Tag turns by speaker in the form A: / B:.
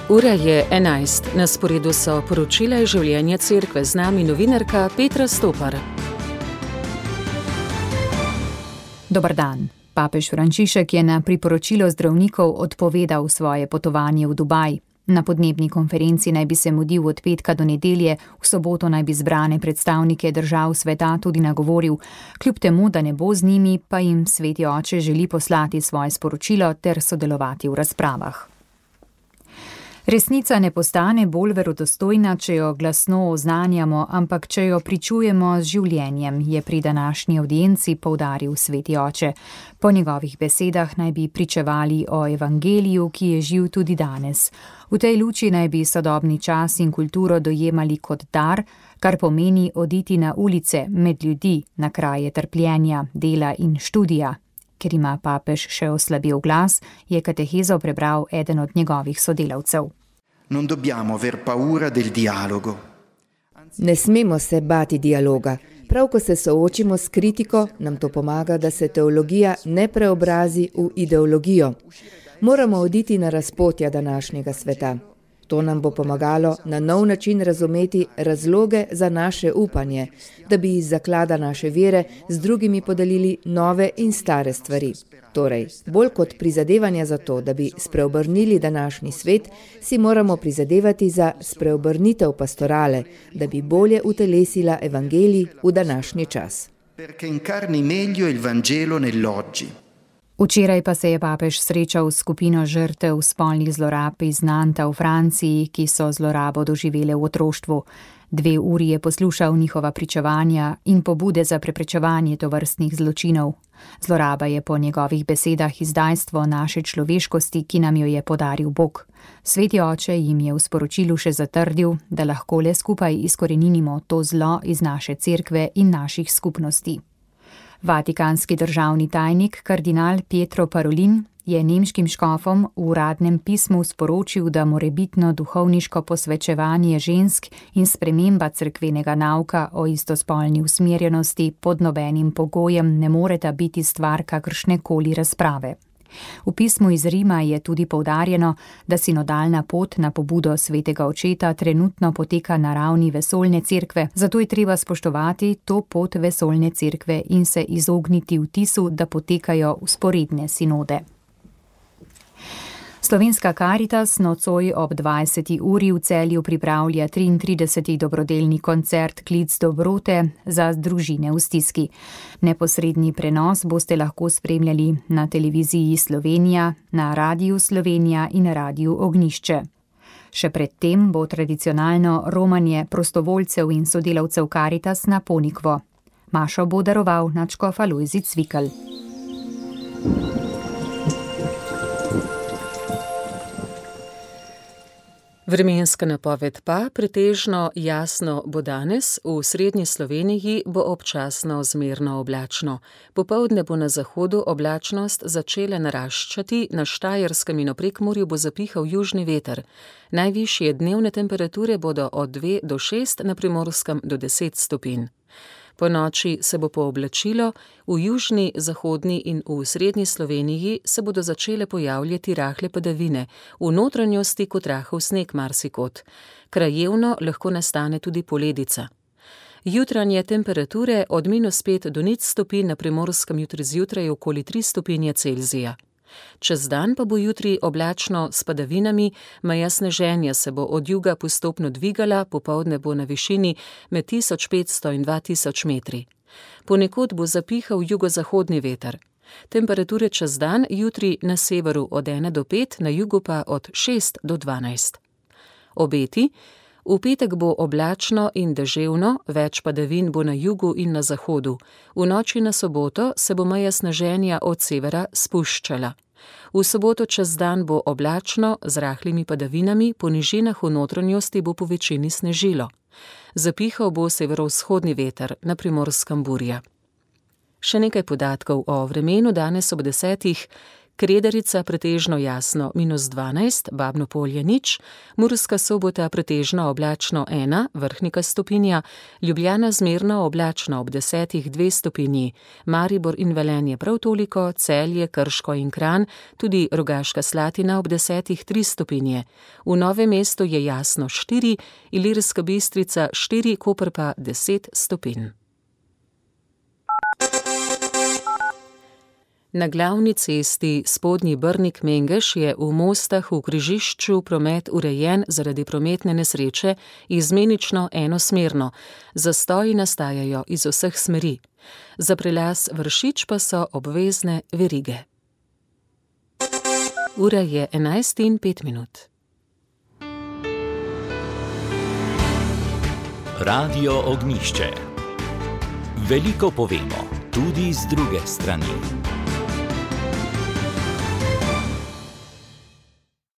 A: Ura je 11. Na sporedu so poročila iz življenja cerkve, z nami novinarka Petra Stopar.
B: Dober dan. Papež Frančišek je na priporočilo zdravnikov odpovedal svoje potovanje v Dubaj. Na podnebni konferenci naj bi se mudil od petka do nedelje, v soboto naj bi zbrane predstavnike držav sveta tudi nagovoril. Kljub temu, da ne bo z njimi, pa jim Sveti oče želi poslati svoje sporočilo ter sodelovati v razpravah. Resnica ne postane bolj verodostojna, če jo glasno oznanjamo, ampak če jo pričujemo z življenjem, je pri današnji avdienci poudaril Sveti oče. Po njegovih besedah naj bi pričevali o evangeliju, ki je živ tudi danes. V tej luči naj bi sodobni čas in kulturo dojemali kot dar, kar pomeni oditi na ulice, med ljudi, na kraje trpljenja, dela in študija. Ker ima papež še oslabel glas, je katehezo prebral eden od njegovih sodelavcev.
C: Ne smemo se bati dialoga. Prav ko se soočimo s kritiko, nam to pomaga, da se teologija ne preobrazi v ideologijo. Moramo oditi na razpotja današnjega sveta. To nam bo pomagalo na nov način razumeti razloge za naše upanje, da bi iz zaklada naše vere z drugimi podelili nove in stare stvari. Torej, bolj kot prizadevanja za to, da bi spreobrnili današnji svet, si moramo prizadevati za spreobrnitev pastorale, da bi bolje utelesila evangelij v današnji čas.
B: Včeraj pa se je papež srečal s skupino žrtev spolnih zlorab iz Nanta v Franciji, ki so zlorabo doživele v otroštvu. 2 uri je poslušal njihova pričevanja in pobude za preprečevanje tovrstnih zločinov. Zloraba je po njegovih besedah izdajstvo naše človeškosti, ki nam jo je podaril Bog. Sveti oče jim je v sporočilu še zatrdil, da lahko le skupaj izkoreninimo to zlo iz naše cerkve in naših skupnosti. Vatikanski državni tajnik kardinal Pietro Parolin je nemškim škofom v uradnem pismu sporočil, da morebitno duhovniško posvečevanje žensk in sprememba cerkvenega nauka o istospolni usmerjenosti pod nobenim pogojem ne moreta biti stvar kakršnekoli razprave. V pismu iz Rima je tudi poudarjeno, da sinodalna pot na pobudo svetega očeta trenutno poteka na ravni vesoljne cerkve, zato je treba spoštovati to pot vesoljne cerkve in se izogniti vtisu, da potekajo vzporedne sinode. Slovenska Karitas nocoj ob 20. uri v Celju pripravlja 33. dobrodelni koncert Klic dobrote za družine v stiski. Neposredni prenos boste lahko spremljali na televiziji Slovenija, na Radiu Slovenija in Radiu Ognjišče. Še predtem bo tradicionalno romanje prostovoljcev in sodelavcev Karitas na Ponikvo. Mašo bo daroval nadškof Alojzij Cvikl.
A: Vremenska napoved pa pretežno jasno bo danes, v srednji Sloveniji bo občasno zmerno oblačno. Popoldne bo na zahodu oblačnost začela naraščati, na Štajerskem in v Prekmurju bo zapihal južni veter. Najvišje dnevne temperature bodo od 2 do 6, na Primorskem do 10 stopinj. Po noči se bo pooblačilo, v južni, zahodni in v srednji Sloveniji se bodo začele pojavljati rahle padavine, v notranjosti kot rahel sneg marsikod. Krajevno lahko nastane tudi poledica. Jutranje temperature od -5 do 0 stopinj, na Primorskem jutri zjutraj okoli 3 stopinje Celzija. Čez dan pa bo jutri oblačno s padavinami, meja sneženja se bo od juga postopno dvigala, popoldne bo na višini med 1500 in 2000 metri. Ponekod bo zapihal jugozahodni veter. Temperature čez dan jutri na severu od 1 do 5, na jugu pa od 6 do 12. Obeti: v petek bo oblačno in deževno, več padavin bo na jugu in na zahodu. V noči na soboto se bo meja sneženja od severa spuščala. V soboto čez dan bo oblačno z rahlimi padavinami, po nižinah v notranjosti bo po večini snežilo. Zapihal bo severovzhodni veter, na Primorskem burja. Še nekaj podatkov o vremenu danes ob 10. Kredarica pretežno jasno -12, Babno Polje nič, Murska Sobota pretežno oblačno 1, Vrhnika stopinja, Ljubljana zmerno oblačno ob 10 2 stopinji, Maribor in Velenje prav toliko, Celje, Krško in Kranj, tudi Rogaška Slatina ob 10 3 stopinje. V Novem mestu je jasno 4, Ilirska Bistrica 4, Koper pa 10 stopinj. Na glavni cesti Spodnji Brnik-Mengeš je v Mostah v križišču promet urejen zaradi prometne nesreče izmenično enosmerno. Zastoji nastajajo iz vseh smeri. Za prelaz Vršič pa so obvezne verige. Ura je 11:05.
D: Radio Ognjišče. Veliko povemo, tudi z druge strani.